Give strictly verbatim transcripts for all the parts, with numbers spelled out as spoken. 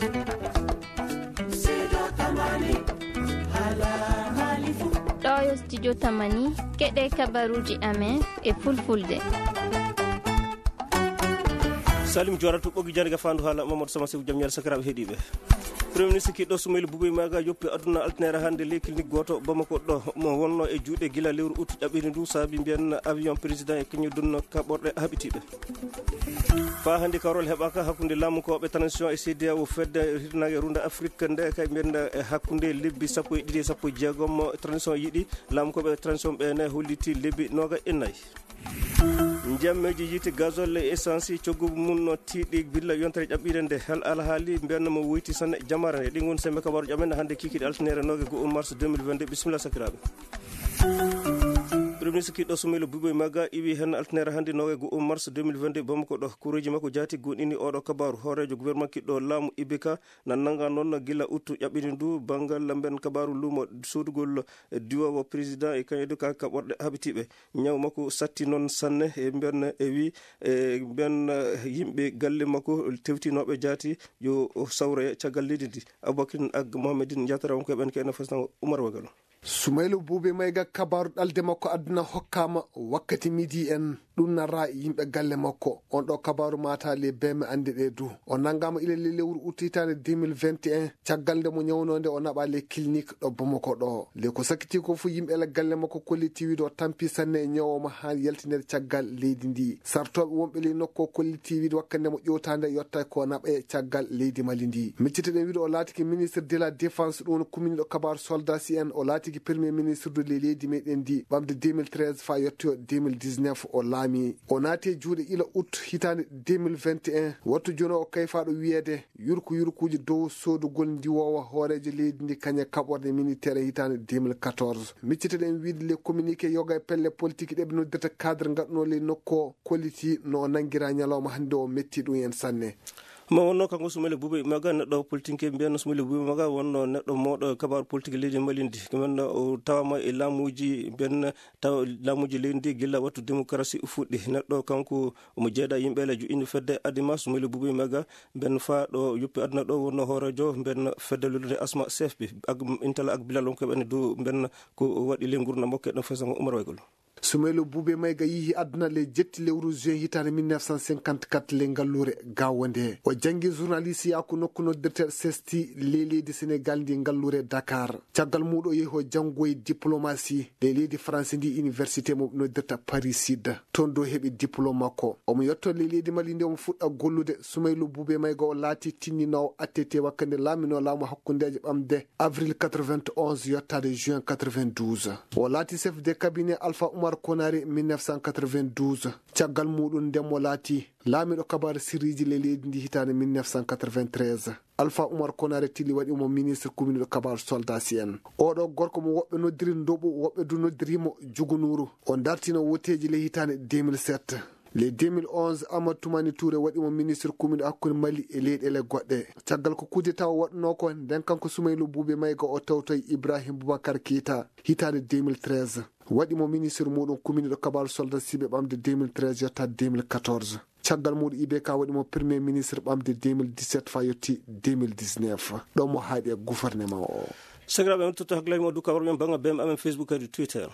Ɗo yo studio Tamani, keɗe kabaruuji amen e fulfulde. Salim Jooratu, ɓoggi jannde ga faandu haala Mamadou Sama Seku, jam ñaali sakiraaɓe heɗiiɓe. Premier ministre kiɗɗo Soumaïla Boubèye Maïga yoppi aduna altine hannde ley clinique gooto Bamako ɗo, mo wonno e juuɗe gila lewru août ƴaɓɓiri ndu, saabi mbiyen avion président e kañum dunno kaɓorɗe haɓitiiɓe. Faa hannde kawral heɓaaka hakkunde laamukooɓe transition e C D A O fedde hirnaange runda Afrique nde, kay mbiyen e hakkunde lebbi sappo e ɗiɗi e sappo e jeegom transition yiɗi, laamukooɓe transition ɓe ne holliti lebbi nooga e nayi. Njammeeji yiite, gazole e essence, coggu mum no tiiɗi gilla yontere ƴaɓɓiire nde. Hel alhaali mbiyen mo woyti sanne jamaare nde. Ɗi ngon sembe kabaaruuji amen hannde kikiiɗe altine nooga e go'o mars deux mille vingt-deux. Bisimilla sakiraaɓe. Premier ministre kiɗɗo Soumaïla Boubèye Maïga iwi hen altine hannde nooga e go'o mars deux mille vingt-deux Bamako ɗo. Kuureeji makko jaati goonɗini oɗo kabaaru. Hooreejo gouvernement kiɗɗo laamu I B K na nannga noon gila août ƴaɓɓiri ndu banngal mbiyen kabaaru luumo soodugol diwoowo président e kañum du ka kaɓorɗe haɓitiiɓe. Ñaw makko satti noon sanne e mbiyen e wi e mbiyen, eh, yimɓe galle makko tewtinooɓe jaati yo o sawre caggal leydi ndi. Aboubacrin ak Mohamedine Diatara, wonko e ɓen ke ene fasna Oumar Wagalo. Soumaïla Boubèye Maïga, kabaaru ɗalde makko aduna hokkaama wakkati midi en. Ɗum narra yimɓe galle makko. On ɗo kabaaru mata le beme annde ɗe du. O nanngaama ila le lewru août hitaande deux mille vingt et un, caggal nde mo ñawnoo nde o naɓa le clinique ɗo Bamako ɗo. Le ko sakkiti ko fof yimɓe le galle makko kolliti wiide o tampi sanne e ñawooma haa yaltinede caggal leydi ndi. Sartooɓe wonɓe le nokku o kolliti wiide wakkati nde mo ƴewtaande yotta ko naɓe caggal leydi Mali ndi. Micciteɗen wiide o laatiki ministre de la défense, ɗum woni kuminiɗo kabaaru soldat si en, o laatiki premier ministre de le leydi meɗen ndi ɓamde deux mille treize faa yettoyo deux mille dix-neuf o laami. O naati e juuɗe ila août hitaande deux mille vingt et un. Wattu jooni o kayfaaɗo wiyeede yurku yurkuuji dow soodugol ndiwoowa hooreejo leydi ndi kañe kaɓorɗe militaire hitaande deux mille quatorze. Micciteɗen wiide le communiqué yoga e pelle politique ɗe ɓe noddirta cadre ngaɗunoo le nokku o kolliti no o nanngira ñalawma hannde o metti ɗum en sanne. Mo wonno kanko Soumaïla Boubèye Maïga neɗɗo politique mbiyen Soumaïla Boubèye Maïga wonno neɗɗo mawɗo kabaaru politique leydi Mali ndi. Ko men o tawama e laamuuji mbiyen taw laamuuji leydi ndi gilla wattu démocratie fuɗɗi. Neɗɗo kanko omo jeeɗa yimɓe le joƴƴini fedde Adema Soumaïla Boubèye Maïga mbiyen faa ɗo yoppi aduna ɗo wonno hooreejo mbiyen fedde lollude asma C F P ak intala ak bilal wonko ɓen du mbiyen ko waɗi le ngurndan makko e ɗon fesango Oumar Waygol. Soumaïla Boubèye Maïga yihi aduna le jetti lewru juin hitaande mille neuf cent cinquante-quatre le ngalluure Gaawo nde. O janngi journaliste yaaku nokku noddirte sesti le leydi Sénégal ndi ngalluure Dakar. Caggal muuɗum o yehi o janngoyi diplomasi le leydi France ndi université mo noddirta Paris Sud. Toon do heɓi diplôme makko. Omo yetto le leydi Mali ndi omo fuɗɗa gollude. Soumaïla Boubèye Maïga o laati tinninoowo attete wakkati nde laaminoo laamu hakkundeeje ɓamde avril quatre-vingt-onze yottaade juin quatre-vingt-douze. O laati chef de cabinet Alpha Oumar Konaré mille neuf cent quatre-vingt-douze. Caggal muuɗum nden mo laati laamiiɗo kabaaru sirriiji le leydi ndi hitaande mille neuf cent quatre-vingt-treize. Alpha Oumar Konaré Tili waɗi mo ministre kuminiiɗo kabaaru soldat si en. Oɗo gorko mo woɓɓe noddiri Ndoɓu, woɓɓe du noddiri mo Jugunuru. O dartino woteeji le hitaande deux mille sept. Le deux mille onze, Amadou Toumani Touré waɗi mo ministre kuminiiɗo hakkunde Mali e leyɗeele goɗɗe. Caggal ko kudeta o waɗnoo ko, nden kanko Soumaïla Boubèye Maïga o tawtoyi Ibrahim Boubacar Keita hitaande deux mille treize. Waɗi mo ministre muuɗum kuminiiɗo kabaaru soldat siɓe ɓamde deux mille treize yottaade deux mille quatorze. Caggal muuɗum I B K waɗi mo premier ministre ɓamde deux mille dix-sept faa yotti deux mille dix-neuf. Ɗo mo haaɗi e gouvernement o. Sakiraaɓe, on totto hakkilaaji mo du kabaaru men bannga B M amen Facebook kadi Twitter.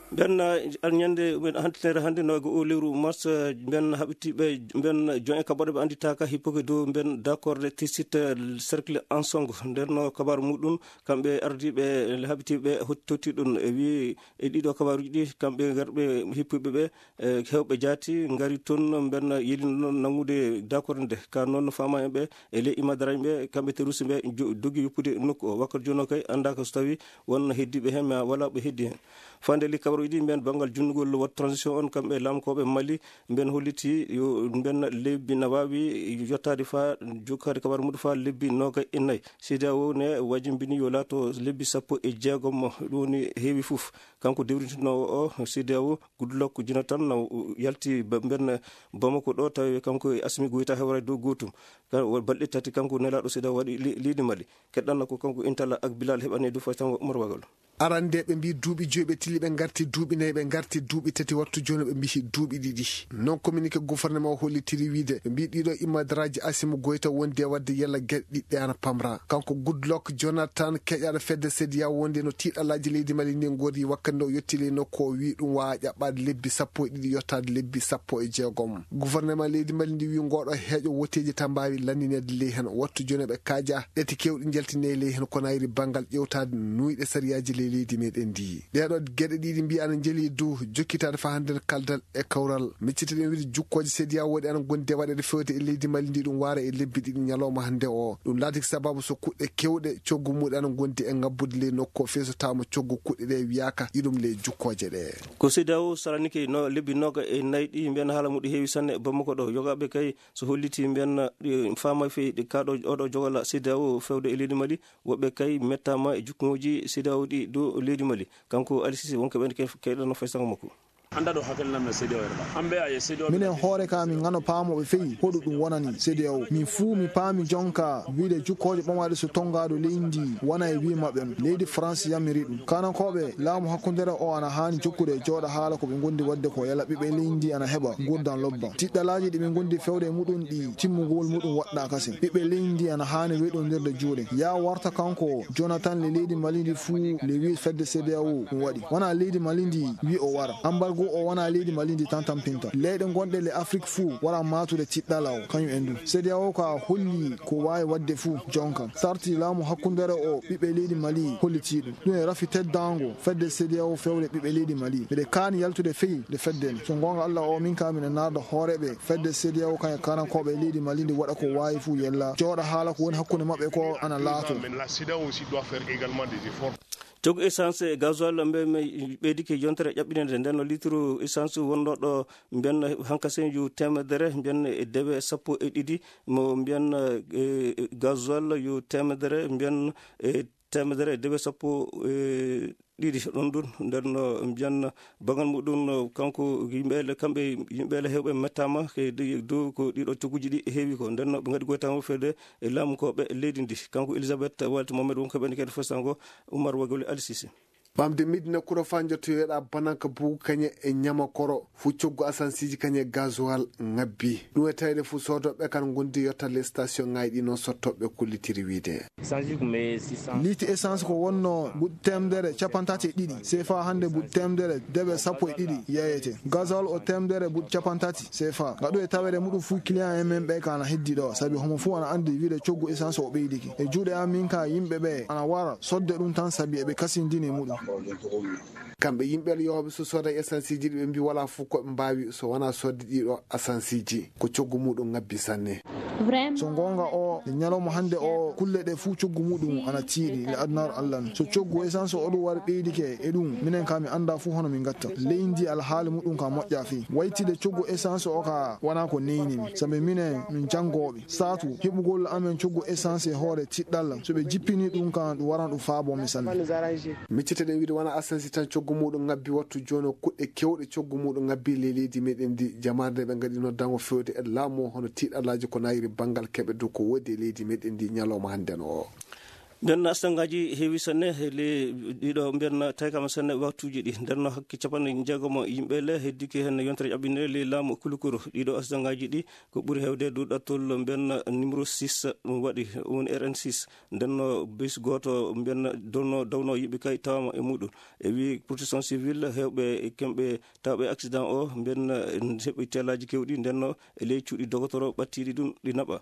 Ɓen, uh, ñande men hantinere hannde no e ko o lewru mars, uh, ɓen haɓitiiɓe, ɓen join e kaɓɓoɗe ɓe annditaaka hippuki dow ɓen d'accord de tisit, uh, cercle Ansongo. Nder no kabaaru muuɗum, kamɓe ardiiɓe haɓitiiɓe hot-, totti ɗum e wi e ɗiɗo kabaaruuji ɗi, kamɓe garɓe hippuɓe ɓe, e heewɓe jaati ngari toon, ɓen yelino noon nanngude d'accord nde. Ka noon faama en ɓe, e ley imadaraaɓe ɓe, kamɓe terroriste ɓe jo-, dogi yoppude nokku o. Wakkati jooni o kay anndaaka so tawii won heddiiɓe heen, ma walaa ɓe heddii heen. Faande li kabaruuji ɗi, mbiyen banngal junnugol waɗtu transition on, kamɓe laamkooɓe Mali, mbiyen holliti yo mbiyen lebbi na waawi yottaade faa jokkaade kabaaru muɗum faa lebbi noogay e nayi. C D A O ne wajimbini yo laato lebbi sappo e jeegom, ɗum woni heewi fof. Kanko dewrintinoowo o C D A O, Goodluck Jonathan, na yalti ba-, mbiyen Bamako ɗo, tawi kanko e Assimi Goïta hewra e dow gootum. Ka-, wa-, balɗe tati kanko nelaaɗo C D A O waɗi le-, leydi Mali. Keɗɗanno ko kanko Intala ak Bilal heɓani du faytango Umar Wagal. Arandeeɓe mbii duuɓi joyi ɓe tilli ɓe ngarti Duuɓi nayi ɓe ngarti, duuɓi tati wattu jooni ɓe mbiyi duuɓi ɗiɗi. Non communiqué gouvernement o hollitiri wiide ɓe mbii ɗiɗo immadaraaji Asimu Goyta wondi e waɗde yalla geɗe ɗiɗɗe ana pamra. Kanko Goodluck Jonathan keƴaɗo fedde sediya wondi no tiiɗalaaji leydi Mali ndi ngori wakkati o yetti ley nokku o wii ɗum waawa ƴaɓɓaade lebbi sappo e ɗiɗi yottaade lebbi sappo e jeegom. Gouvernement leydi Mali ndi wii ngoɗo heeƴo woteeji tan mbaawi landineede ley hen. Wattu jooni ɓe kaaja ɗeti kewɗi njaltine ley hen ko nayri banngal ƴewtaade nuyɗe sariyaaji ley leydi meɗen ndi. Ɗeɗo geɗe ɗiɗi mbiya ana njeli dow jokkitaade faa hannde kaldal e kawral. Miccitiɗen wiide jukkooje sediya woɗi ana gondi e waɗeede fewte e leydi Mali ndi ɗum waara e lebbi ɗiɗi ñalawma hannde o. Ɗum laatiki sababu so kuɗɗe kewɗe coggu muɗe ana gondi e ngabbude ley nokku o feeso tawa mo coggu kuɗɗe ɗe wiyaka iɗum ley jukkooje ɗe. Ko sediya o saranike no lebbi noga e nayi ɗi mbiyan haala muɗum heewi sanne Bamako ɗo. Yogaɓe kay so holliti mbiyan faama fe ɗi kaɗo oɗo jogala sediya o fewde e leydi Mali. Woɓɓe kay mettama e jukkuŋoji sediya o ɗi dow leydi Mali. Kanko Alisisi wonko ɓen ke-, keɗano fay sango makko. Anda ɗo hakkillan men sediya o yerɓa. Ambe a ye sediya o minen hoore ka min ngano paamo ɓe feyi hoɗo ɗum wonani sediya o. Min fuu mi paami jonka wiide jukkooje ɓamaɗe so tongaɗo leydi ndi wona e wi maɓɓe no. Leydi France yamiri ɗum. Kanankooɓe laamu hakkundere o ana haani jokkude e jooɗa haala ko ɓe ngondi waɗde ko yala ɓiɓɓe leydi ndi ana heɓa ngurdan lobba. Tiɗɗalaaji ɗi ɓe ngondi fewde e muɗum ɗi timmugol muɗum waɗɗa kasen. Ɓiɓɓe leydi ndi ana haani weɗondirde juuɗe. Ya warta kanko Jonathan le leydi Mali ndi fuu le wi fedde sediya o ɗum waɗi. Wona leydi Mali ndi wi o wara. Ambargo o wona leydi Mali ndi tan tampinta. Leyɗe gonɗe le Afrique fuu wara matude tiɗɗala o kañum en ɗum. Sediya o ka holli ko waawi waɗde fuu jonka. Sarti laamu hakkundere o ɓiɓɓe leydi Mali holliti ɗum. Ɗum e rafi teddaango fedde sediya o fewde ɓiɓɓe leydi Mali. Miɗe kaani yaltude feyi nde fedde nde. So goonga Allah o min ka miɗe naarda hooreeɓe fedde sediya o kañe kanankooɓe leydi Mali ndi waɗa ko waawi fuu yella. Jooɗa haala ko woni hakkunde maɓɓe ko ana laato. Coggu essence e gasoil mbe, mbe ɓeydike yontere ƴaɓɓinede. Nden no litre essence wonno ɗo mbiyan hankasen yo temedere, mbiyan e dewe sappo e ɗiɗi, mo mbiyan, eh, gasoil yo temedere, mbiyan e temedere e dewe sappo e ɗiɗi. Ɗon ɗum, nden no mbiyan bangal muɗum, no kanko yimɓe ele, kamɓe yimɓe ele hewɓe mettama ke dow ko ɗiɗo cogguji ɗi heewi ko. Nden no ɓe ngaɗi goytama fewde e laamu ko ɓe leydi ndi. Kanko Elisabeth Walti Mohamed wonko ɓen kede fosango Umar Wagoli Alisisi. Ɓamde Medina Kuro faa njottoyoɗa Bananka Bugu kañe e Ñamakoro, fu coggu asansiiji kañe gasoil ŋabbi. Ɗum e tawde fu soodooɓe kan ngondi yotta les station ŋaaji ɗi noon sottooɓe kollitiri wiide. Liiti essence ko wonno buɗ temedere capantati e ɗiɗi sefa, hannde buɗ temedere dewe sappo e ɗiɗi yeyete. Gasoil o temedere buɗ capantati sefa. Ngaɗu e taweede muɗum fuu client en men ɓe ka ana heddi ɗo, sabi homo fuu ana anndi wiide coggu essence o ɓeydiki. E juuɗe am min ka yimɓe ɓe ana wara sodde ɗum tan sabi eɓe kasindini e muɗum. Kamɓe yimɓe yahooɓe so sooda essence ji ɗi ɓe mbi wala fof ko ɓe mbaawi so wona sodde ɗiɗo essence ji ko coggu muɗum ngabbi sanne. So goonga o, e ñalawma hannde o, kulle ɗe fuu coggu muɗum ana tiiɗi le adunaaru Allah no. So coggu essence o ɗum wari ɓeydike e ɗum, minen ka mi annda fuu hono min ngatta. Leydi alhaali muɗum ka moƴƴa fii. Waytide coggu essence o ka wona ko neyni mi. Sabi minen min janngooɓe. Saatu heɓugol amen coggu essence e hoore tiɗɗalla. So ɓe jippini ɗum kan ɗum waran ɗum faabo mi sanne. Micciteɗen wiide wona essence tan coggu muɗum ngabbi wattu jooni o kuɗɗe kewɗe coggu muɗum ngabbi le leydi meɗen ndi. Jamaare nde ɓe ngaɗi noddango fewde e laamu o hono tiɗɗallaaji ko nayiri banngal keɓe dow ko woodi e leydi meɗen ndi ñalawma hannde no o. Nden no accident ngaji heewi sanne, he le ɗiɗo mbiyan tawi kam sanne waktuuji ɗi. Nden no hakke capanɗe jeegom yimɓe le heddike heen yontere ƴaɓɓinde le laamu Kulukuru. Ɗiɗo accident ngaji ɗi ko ɓuri heewde dow ɗattol mbiyan numéro six ɗum waɗi, woni R N six. Nden no bus gooto mbiyan donno, dawno yimɓe kay tawama e muɗum. E wi protection civile heewɓe e kamɓe tawɓe accident o mbiyan heɓi teelaaji kewɗi. Nden no e ley cuuɗi dogotoro ɓattiɗi ɗum ɗi naɓa.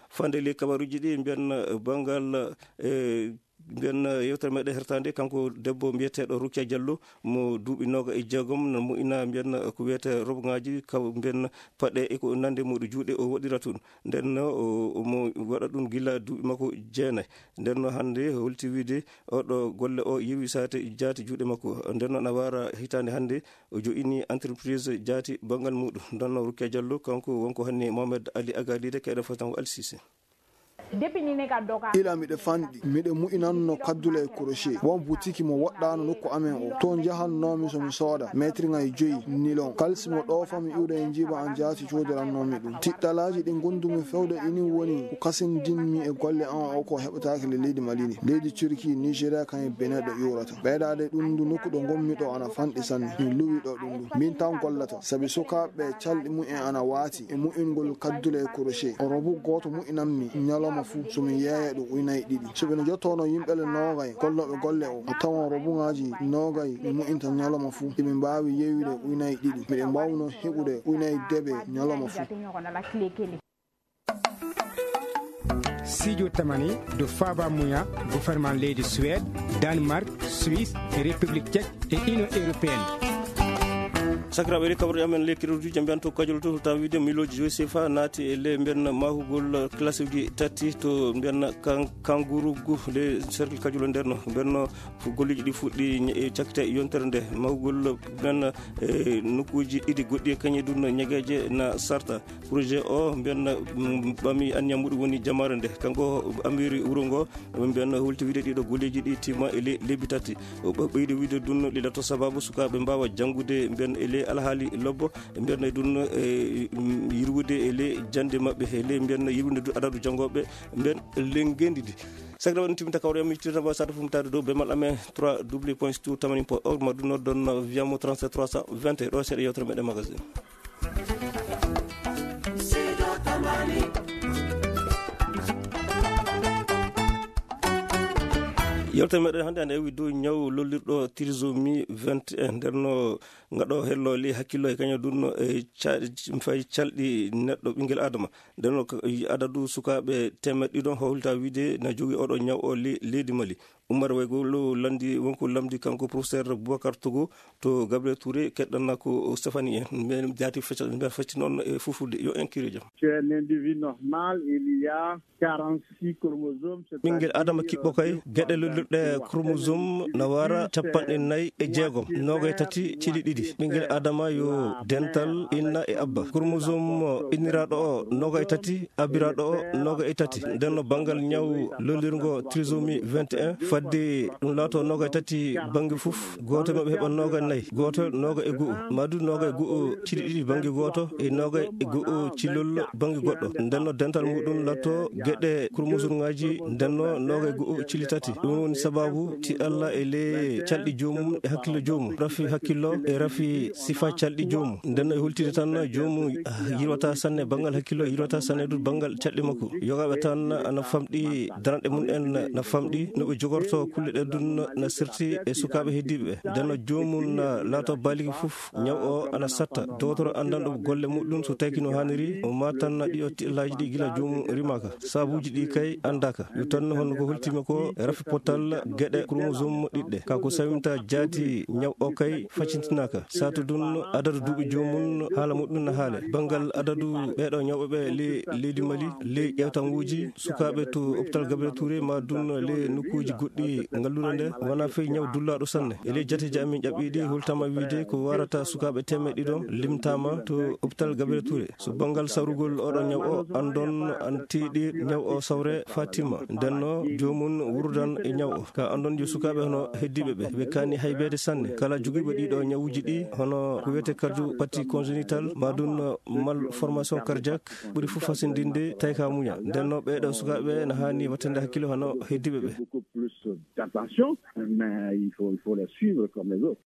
Fande ley kabaruji ɗi mbiyan, eh, banngal, eh, mbiyan, eh, yewtere meɗen hertande, kanko debbo mbiyeteɗo Rukia Diallo, mo duuɓi nooga e jeegom, no mo ina mbiyan, eh, ko wiyete roboŋaaji, ka mbiyan paɗe e ko nande muɗum juuɗe o waɗira tun. Nden no o, o mo waɗa ɗum gila duuɓi makko jeenayi. Nden no hannde holti wiide oɗo golle o yewi saate jaati juuɗe makko. Nden no na wara hitaande hannde o jo'ini entreprise jaati banngal muɗum. Nden no Rukia Diallo, kanko wonko hanni Mohamed Ali Agalide, kayɗo fotango Alsise. Ila miɗe fanɗi, miɗe mu'inanno kaddule e crochet. Won butiki mo woɗɗaano nokku amen o. Toon njahannoomi so mi sooda meetirŋaaji joyi nilon. Kalsi mo ɗoofami iwde e njiiba an jaati coodirannoomi ɗum. Tiɗɗalaaji ɗi ngondumi fewde ini woni ko kasindinmi e golle an o ko heɓataake le leydi Mali ni. Leydi Turki, Nigeria, kañum e Benin ɗo iwrata. Ɓeydaade ɗum ndu nokku ɗo ngonmi ɗo ana fanɗi sanne. Mi luwi ɗo ɗum ndu. Min tan gollata. Sabi sukaaɓe calɗi mumen ana waati e mu'ingol kaddule e crochet. Robu gooto mu'inammi ñalawma fuu so mi yeeya ɗum ujunaaji ɗiɗi. So ɓe no jottono yimɓe le noogay gollooɓe golle o, a tawan robuŋaaji noogay mi mu'inta ñalawma fuu. Eɓe mbaawi yeeyude ujunaaji ɗiɗi. Miɗen mbaawno heɓude ujunaaji debe ñalawma fuu. Sijo tamani do faba muya gouvernement leydi Suède, Danemark, Suisse, République Tchèque et Union Européenne. Sakiraaɓe, iri kaɓruɗe amen le keɗoɗuji mbiyan to kajol to tawa wiide milooji joyi sefa naati e le mbiyan mahugol classe uji tati to mbiyan kan-, kangurugu le cercle kajol o nder no mbiyan no golleji ɗi fuɗɗi ñe-, e cakkite yontere nde mahugol mbiyan, e nokkuji ɗiɗi goɗɗi e kañe ɗum ñegeje na sarta. Projet o mbiyan, mm, ɓami anniya muɗum woni jamaare nde. Kanko amiri wuro ngo, mbiyan holti wiide ɗiɗo golleji ɗi timma e le-, lebbi tati. O ɓe-, ɓeydi wiide ɗum ɗiɗato sababu sukaaɓe mbaawa janngude mbiyan e le alhaali lobbo, mbiyan e ɗum, e, mm, yirwude e le jannde maɓɓe, e le mbiyan yirwude ɗum adadu janngooɓe mbiyan le ngenndi ndi. Sakiraaɓe, on timmita kawre mi tirta ba sata fumtaade dow bemal amen trois w point stu tamani point org ma ɗum noddon via mo trente-sept trois cent vingt ɗo seeɗa yewtere meɗen magazine. Yewtere meɗen hannde ene ewi dow ñaw lollirɗo trisomie vingt et un. Nder no ngaɗo hello li hakkillo e kañum ɗum no e ca-, fay calɗi neɗɗo ɓinngel adama. Nden no ka-, adadu sukaaɓe teemeɗɗe ɗiɗo howlta wiide na jogii oɗo ñaw o le-, leydi Mali. Umar Waygo lo landi wonko lamdi kanko professeur Boubacar Togo to Gabriel Touré keɗɗanna ko Stéphanie en. Mbiyan jaati fecca, mbiyan fecci noon e fulfulde. Yo en kiire jam. C'est un individu normal, il y a quarante-six chromosomes, c'est-à-dire, ɓinngel adama kiɓɓo kay, geɗe lollirɗe chromosome na wara capanɗe nayi e jeegom, noogay tati cili ɗiɗi. Ɓinngel adama yo dental inna e abba. Chromosome inniraaɗo o noogay tati, abbiraaɗo o noogay e tati. Nden no banngal ñaw lollirngo trisomie vingt et un, fadde ɗum laato noogay tati bannge fof, gooto maɓɓe heɓa noogay nayi, gooto noogay e go'o, maa du noogay e go'o cili ɗiɗi bannge gooto e noogay e go'o cilol bannge goɗɗo. Nden no dental muɗum latto geɗe chromosomeŋaaji, nden no noogay e go'o cili tati. Ɗum woni sababu tiɗalla e le calɗi joomum e hakkillo joomum, rafi hakkillo e rafi sifa calɗi joomum. Nden no e hultide tan joomum yirwata sanne banngal hakkillo, yirwata sanne du banngal calɗi makko. Yogaaɓe tan ana famɗi, daranɗe mum en na famɗi, no ɓe jogorto kulle ɗe dun na sirti e sukaaɓe heddiiɓe ɓe. Nden no joomum na laato baaligi fof, ñaw o ana satta. Dootoro anndanɗo golle muɗum so tawi no haaniri, o maatan na ɗiɗo tiɗallaaji ɗi gila joomum rimaaka. Sabuuji ɗi kay anndaaka. Yo tan honno ko holtima ko rafi potal geɗe chromosome ɗiɗɗe. Ka ko sawinta jaati ñaw o kay facintinaaka. Saatu dun adadu duuɓi joomum haala muɗum na haale. Banngal adadu ɓeeɗo ñawɓe ɓe le-, leydi Mali, ley ƴeewtanguuji sukaaɓe to hôpital Gabriel Touré ma dun le nokkuuji goɗɗi ngalluure nde, wona fey ñaw dullaaɗo sanne. E ley jateeji amin ƴaɓɓiiɗi, holtama wiide ko warata sukaaɓe teemeɗɗe ɗiɗo limtaama to hôpital Gabriel Touré. So banngal sawrugol oɗo ñaw o, anndon an tiiɗi ñaw o sawre Fatima. Nden no joomum wurudan e ñaw o. Ka anndon yo sukaaɓe hono heddiiɓe ɓe, ɓe kaani haybeede sanne. Kala jogiiɓe ɗiɗo ñawuuji ɗi, hono ko wiyetee cardiopathie congénitale, ma dun malformation cardiaque, ɓuri fof hasindinde tawi ka muña. Nden no ɓeeɗo sukaaɓe na haani wattande hakkille hono heddiiɓe ɓe. Beaucoup plus d'attention, mais il faut, il faut les suivre comme les autres.